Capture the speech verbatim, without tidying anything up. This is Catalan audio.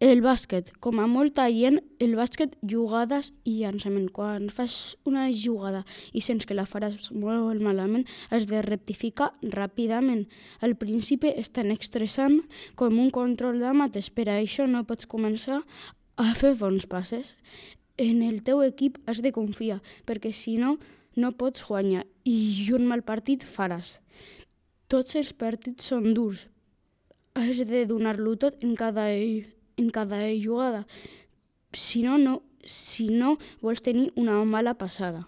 El bàsquet. Com a molta gent, el bàsquet, jugades i llançament. Quan fas una jugada i sents que la faràs molt malament, has de rectificar ràpidament. Al principi és tan estressant com un control de mates, per això no pots començar a fer bons passes. En el teu equip has de confiar, perquè si no, no pots guanyar i un mal partit faràs. Tots els partits són durs. Has de donar-lo tot en cada, en cada jugada. Si no, no, si no vols tenir una mala passada.